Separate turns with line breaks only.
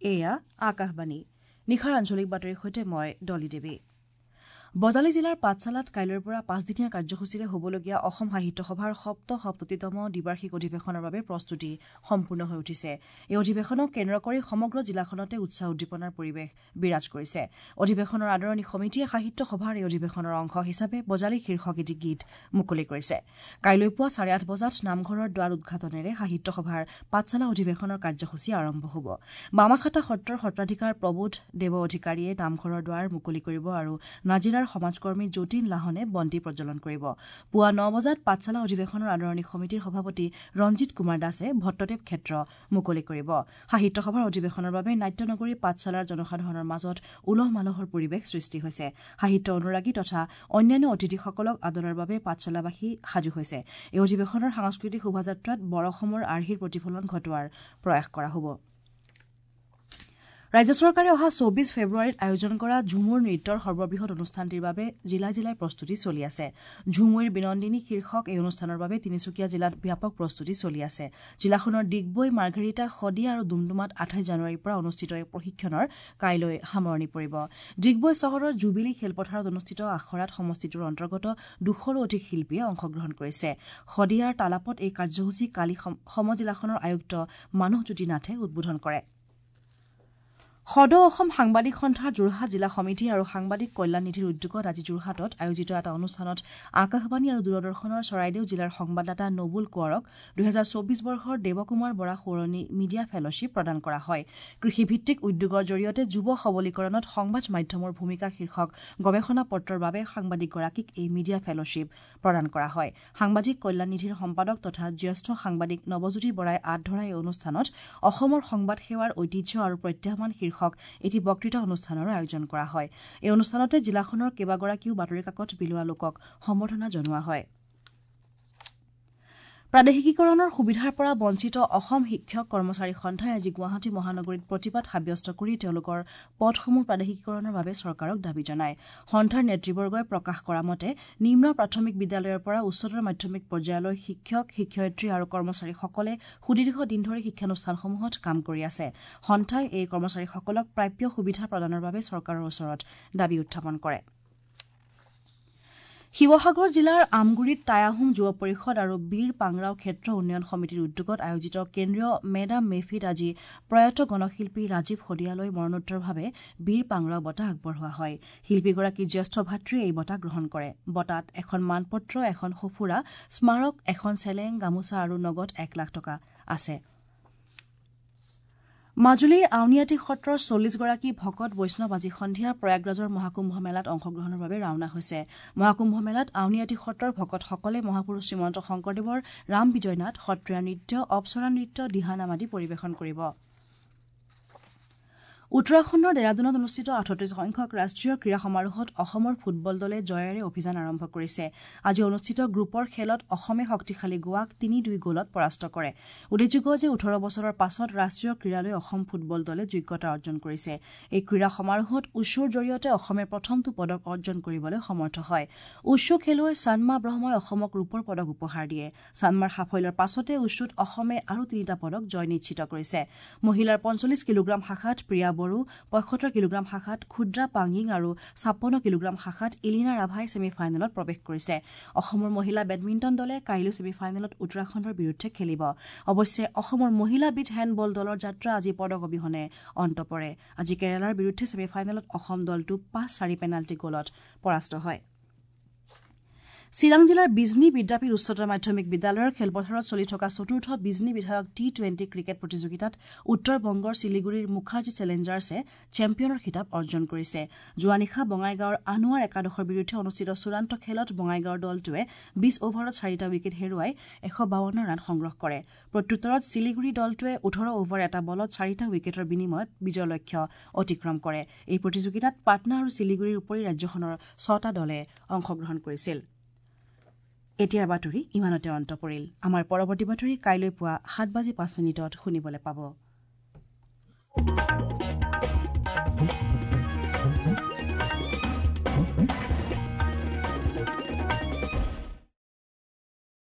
এয়া আকাশবাণী। নিশাৰ আঞ্চলিক বাতৰিৰ সৈতে মই ডলি দেৱী। বজালী জিলাৰ পাঠশালাত কাইলৈৰ পৰা পাঁচদিনীয়া কাৰ্যসূচীৰে হ'বলগীয়া অসম সাহিত্য সভাৰ ৭৭তম দ্বিবাৰ্ষিক অধিৱেশনৰ বাবে প্ৰস্তুতি সম্পূৰ্ণ হৈ উঠিছে। এই অধিৱেশনক কেন্দ্ৰ কৰি সমগ্ৰ জিলাখনতে উৎসাহ উদ্দীপনাৰ পৰিৱেশ বিৰাজ কৰিছে। অধিৱেশনৰ আদৰণি সমিতিয়ে সাহিত্য সভাৰ এই অধিৱেশনৰ অংশ হিচাপে বজালী শীৰ্ষক এটি গীত মুকলি কৰিছে। কাইলৈ পুৱা ৮:৩০ বজাত নামঘৰৰ দ্বাৰ উদ্ঘাটনেৰে সাহিত্য সভাৰ পাঠশালা অধিৱেশনৰ কাৰ্যসূচী আৰম্ভ হ'ব। বামাখাটা সত্ৰৰ সত্ৰাধিকাৰ প্ৰবোধ দেৱ অধিকাৰীয়ে নামঘৰৰ দ্বাৰ মুকলি কৰিব আৰু নাজিৰাৰ সমাজকৰ্মী যতীন লাহনে বন্তি প্ৰজ্বলন কৰিব। পুৱা ৯ বজাত পাঠশালা অধিৱেশনৰ আদৰণি সমিতিৰ সভাপতি ৰঞ্জিত কুমাৰ দাসে ভট্টদেৱ ক্ষেত্ৰ মুকলি কৰিব। সাহিত্য সভাৰ অধিৱেশনৰ বাবে নাট্যনগৰী পাঠশালাৰ জনসাধাৰণৰ মাজত উলহ মালহৰ পৰিৱেশ সৃষ্টি হৈছে। সাহিত্য অনুৰাগী তথা অন্যান্য অতিথিসকলক আদৰাৰ বাবে পাঠশালাবাসী সাজু হৈছে। এই অধিৱেশনৰ সাংস্কৃতিক শোভাযাত্ৰাত বৰ অসমৰ আৰ্হিৰ প্ৰতিফলন ঘটোৱাৰ প্ৰয়াস কৰা হ'ব। ৰাজ্য চৰকাৰে অহা ২৪ ফেব্ৰুৱাৰীত আয়োজন কৰা ঝুমুৰ নৃত্যৰ সৰ্ববৃহৎ অনুষ্ঠানটিৰ বাবে জিলাই জিলাই প্ৰস্তুতি চলি আছে। ঝুমুইৰ বিনন্দিনী শীৰ্ষক এই অনুষ্ঠানৰ বাবে তিনিচুকীয়া জিলাত ব্যাপক প্ৰস্তুতি চলি আছে। জিলাখনৰ ডিগবৈ, মাৰ্ঘেৰিটা, শদিয়া আৰু ডুমডুমাত ২৮ জানুৱাৰীৰ পৰা অনুষ্ঠিত এই প্ৰশিক্ষণৰ কাইলৈ সামৰণি পৰিব। ডিগবৈ চহৰৰ জুবিলী খেলপথাৰত অনুষ্ঠিত আখৰাত সমষ্টিটোৰ অন্তৰ্গত ২০০ৰো অধিক শিল্পীয়ে অংশগ্ৰহণ কৰিছে। শদিয়াৰ তালাপত এই কাৰ্যসূচী কালি সমজিলাখনৰ আয়ুক্ত মানসজ্যোতি নাথে উদ্বোধন কৰে। সদৌ অসম সাংবাদিক সন্থাৰ যোৰহাট জিলা সমিতি আৰু সাংবাদিক কল্যাণ নিধিৰ উদ্যোগত আজি যোৰহাটত আয়োজিত এটা অনুষ্ঠানত আকাশবাণী আৰু দূৰদৰ্শনৰ চৰাইদেউ জিলাৰ সংবাদদাতা নবুল কোঁৱৰক ২০২৪ বৰ্ষৰ দেৱকুমাৰ বৰা সোঁৱৰণী মিডিয়া ফেলশ্বিপ প্ৰদান কৰা হয়। কৃষিভিত্তিক উদ্যোগৰ জৰিয়তে যুৱ সবলীকৰণত সংবাদ মাধ্যমৰ ভূমিকা শীৰ্ষক গৱেষণা পত্ৰৰ বাবে সাংবাদিকগৰাকীক এই মিডিয়া ফেলশ্বিপ প্ৰদান কৰা হয়। সাংবাদিক কল্যাণ নিধিৰ সম্পাদক তথা জ্যেষ্ঠ সাংবাদিক নৱজ্যোতি বৰাই আঁত ধৰা এই অনুষ্ঠানত অসমৰ সংবাদ সেৱাৰ ঐতিহ্য আৰু প্ৰত্যাহ্বান শীৰ্ষক এটি বক্তৃতা অনুষ্ঠানৰো আয়োজন কৰা হয়। এই অনুষ্ঠানতে জিলাখনৰ কেইবাগৰাকীও বাতৰি কাকত বিলোৱা লোকক সম্বৰ্ধনা জনোৱা হয়। প্ৰাদেশিকীকৰণৰ সুবিধাৰ পৰা বঞ্চিত অসম শিক্ষক কৰ্মচাৰী সন্থাই আজি গুৱাহাটী মহানগৰীত প্ৰতিবাদ সাব্যস্ত কৰি তেওঁলোকৰ পদসমূহ প্ৰাদেশিকীকৰণৰ বাবে চৰকাৰক দাবী জনায়। সন্থাৰ নেতৃবৰ্গই প্ৰকাশ কৰা মতে নিম্ন প্ৰাথমিক বিদ্যালয়ৰ পৰা উচ্চতৰ মাধ্যমিক পৰ্যায়লৈ শিক্ষক, শিক্ষয়িত্ৰী আৰু কৰ্মচাৰীসকলে সুদীৰ্ঘ দিন ধৰি শিক্ষানুষ্ঠানসমূহত কাম কৰি আছে। সন্থাই এই কৰ্মচাৰীসকলক প্ৰাপ্য সুবিধা প্ৰদানৰ বাবে চৰকাৰৰ ওচৰত দাবী উত্থাপন কৰে। শিৱসাগৰ জিলাৰ আমগুৰিত টাই আহোম যুৱ পৰিষদ আৰু বীৰ পাংৰাও ক্ষেত্ৰ উন্নয়ন সমিতিৰ উদ্যোগত আয়োজিত কেন্দ্ৰীয় মেডাম মেফিত আজি প্ৰয়াত গণশিল্পী ৰাজীৱ শদিয়ালৈ মৰণোত্তৰভাৱে বীৰ পাংৰাও বঁটা আগবঢ়োৱা হয়। শিল্পীগৰাকীৰ জ্যেষ্ঠ ভাতৃয়ে এই বঁটা গ্ৰহণ কৰে। বঁটাত এখন মানপত্ৰ, এখন সঁফুৰা, স্মাৰক, এখন চেলেং, গামোচা আৰু নগদ ১ লাখ টকা আছে। মাজুলীৰ আউনীআটী সত্ৰৰ ৪০গৰাকী ভকত বৈষ্ণৱ আজি সন্ধিয়া প্ৰয়াগৰাজৰ মহাকুম্ভ মেলাত অংশগ্ৰহণৰ বাবে ৰাওনা হৈছে। মহাকুম্ভ মেলাত আউনীআটী সত্ৰৰ ভকতসকলে মহাপুৰুষ শ্ৰীমন্ত শংকৰদেৱৰ ৰাম বিজয় নাট, সত্ৰীয়া নৃত্য, অপ্সৰা নৃত্য, দিহানাম আদি পৰিৱেশন কৰিব। উত্তৰাখণ্ডৰ ডেৰাডুনত অনুষ্ঠিত ৩৮ সংখ্যক ৰাষ্ট্ৰীয় ক্ৰীড়া সমাৰোহত অসমৰ ফুটবল দলে জয়েৰে অভিযান আৰম্ভ কৰিছে। আজি অনুষ্ঠিত গ্ৰুপৰ খেলত অসমে শক্তিশালী গোৱাক ৩-২ গ'লত পৰাস্ত কৰে। উল্লেখযোগ্য যে ১৮ বছৰৰ পাছত ৰাষ্ট্ৰীয় ক্ৰীড়ালৈ অসম ফুটবল দলে যোগ্যতা অৰ্জন কৰিছে। এই ক্ৰীড়া সমাৰোহত উশ্বুৰ জৰিয়তে অসমে প্ৰথমটো পদক অৰ্জন কৰিবলৈ সমৰ্থ হয়। উশ্বু খেলুৱৈ ছানমা ব্ৰহ্মই অসমক ৰূপৰ পদক উপহাৰ দিয়ে। ছানমাৰ সাফল্যৰ পাছতে উশ্বুত অসমে আৰু ৩টা পদক জয় নিশ্চিত কৰিছে। মহিলাৰ ৪৫ কিলোগ্ৰাম শাখাত প্ৰিয়া বড়ো, ৭৫ কিলোগ্ৰাম শাখাত ক্ষুদ্ৰা পাংগিং আৰু ৫৬ কিলোগ্ৰাম শাখাত ইলিনা ৰাভাই ছেমি ফাইনেলত প্ৰৱেশ কৰিছে। অসমৰ মহিলা বেডমিণ্টন দলে কাইলৈ ছেমি ফাইনেলত উত্তৰাখণ্ডৰ বিৰুদ্ধে খেলিব। অৱশ্যে অসমৰ মহিলা বীচ হেণ্ডবল দলৰ যাত্ৰা আজি পদক অবিহনে অন্ত পৰে। আজি কেৰালাৰ বিৰুদ্ধে ছেমি ফাইনেলত অসম দলটো ৫-৪ পেনাল্টি গ'লত পৰাস্ত হয়। চিৰাং জিলাৰ বিজনী বিদ্যাপীঠ উচ্চতৰ মাধ্যমিক বিদ্যালয়ৰ খেলপথাৰত চলি থকা চতুৰ্থ বিজনী বিধায়ক টি-20 ক্ৰিকেট প্ৰতিযোগিতাত উত্তৰ বংগৰ শিলিগুৰিৰ মুখাৰ্জী চেলেঞ্জাৰ্ছে চেম্পিয়নৰ খিতাপ অৰ্জন কৰিছে। যোৱা নিশা বঙাইগাঁৱৰ আনোৱাৰ একাদশৰ বিৰুদ্ধে অনুষ্ঠিত চূড়ান্ত খেলত বঙাইগাঁৱৰ দলটোৱে ২০ অভাৰত ৪টা উইকেট হেৰুৱাই ১৫২ ৰান সংগ্ৰহ কৰে। প্ৰত্যুত্তৰত শিলিগুৰি দলটোৱে ১৮ অভাৰ এটা বলত ৪টা উইকেটৰ বিনিময়ত বিজয় লক্ষ্য অতিক্ৰম কৰে। এই প্ৰতিযোগিতাত পাটনা আৰু শিলিগুৰিৰ উপৰি ৰাজ্যখনৰ ৬টা দলে অংশগ্ৰহণ কৰিছিল। এতিয়াৰ বাতৰি ইমানতে অন্ত পৰিল। আমাৰ পৰৱৰ্তী বাতৰি কাইলৈ পুৱা ৭:০৫ শুনিবলৈ পাব।